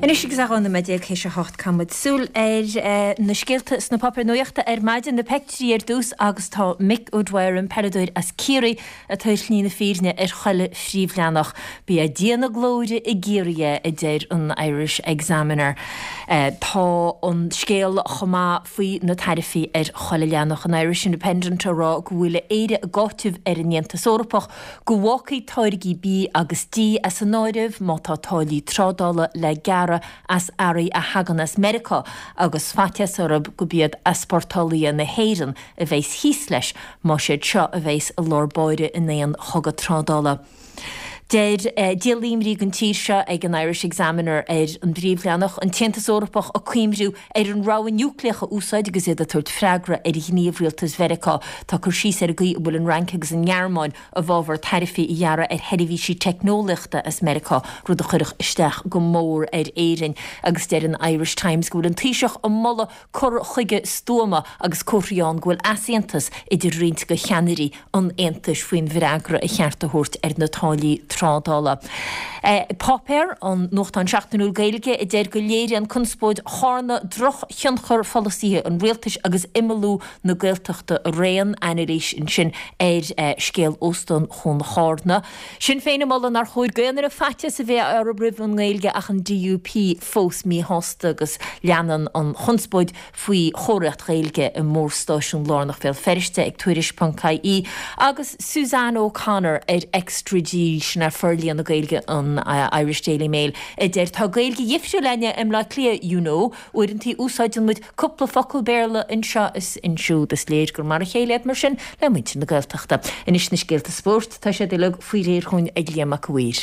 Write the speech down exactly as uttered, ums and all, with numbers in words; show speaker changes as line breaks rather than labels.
Anois agus é dhá nóiméad déag théis a hocht caithfidh muid súil ar na scéalta sna páipéir nuachta ar maidin, na peictiúirí ar dtús agus tá Mick O'Dwyer, an peileadóir as Ciarraí ag tabhairt shlí na fírinne ar chuile phríomhleathanach. Ba é Dia na glóire i gCiarraí é, a deir an Irish Examiner. Tá an scéal chomh maith faoi na taraifí ar chuile leathanach. An Irish Independent á rá go bhfuil Éire ag áiteamh ar an Aontas Eorpach go bhfágfaí táirgí bídh agus dí as an áireamh má tá táillí trádála le gearradh as earraí a thagann as Meiriceá agus faitíos orthu gurb iad easpórtálaithe na hÉireann a bheas thíos leis más iad seo a bheas i lár báire in aon chogadh trádála. Deir díol imní don tír seo ag an Irish Examiner ar an bpríomhleathanach, an tAontas Eorpach ag cuimhniú ar an rogha núicléach a úsáid agus iad ag tabhairt freagra ar ghníomh rialtas Mheiriceá. Tá cur síos ar an gcaoi a bhfuil an Fhrainc agus an Ghearmáin i bhfabhar taraifí a ghearradh ar sheirbhísí teicneolaíochta as Meiriceá, rud a chuirfeadh isteach go mór ar Éirinn. Agus deir an Irish Times go bhfuil an Taoiseach ag moladh cur chuige stuama agus comharthaí ann go bhfuil easaontas idir roinnt de cheannairí an Aontais faoin bhfreagra a cheart a thabhairt ar na táillí trádála. Páipéar, an nuachtán seachtainiúil Gaeilge, a deir go léiríonn conspóid Charna drochthionchar pholasaithe an rialtais agus imeallú na Gaeltachta araon. Anailís ansin ar scéal Óstán Chuan Charna. Sinn Féin ag moladh nár chóir d'aon duine faitíos a bheith orthu roimh an nGaeilge ach an DUP fós míshásta agus leanann an chonspóid faoi chomharthaíocht Ghaeilge i mórstáisiún lárnach Bhéal Feirste ag Tuairisc ponc ie agus Suzanne O'Connor ar Extra G, sin é forlíonadh Gaeilge an Irish Daily Mail, a deir Tá Gaeilge dhifriúil againne i mBleá Cliath, you know. Uaireantaí úsáideann muid cúpla focal Béarla anseo is ansiúd. Is léir gur mar a chéile iad mar sin le muintir na Gaeltachta. Anois na scéalta spóirt, tá siad uilig faoi réir chugainn ag Liam Mac a' Mhaoir.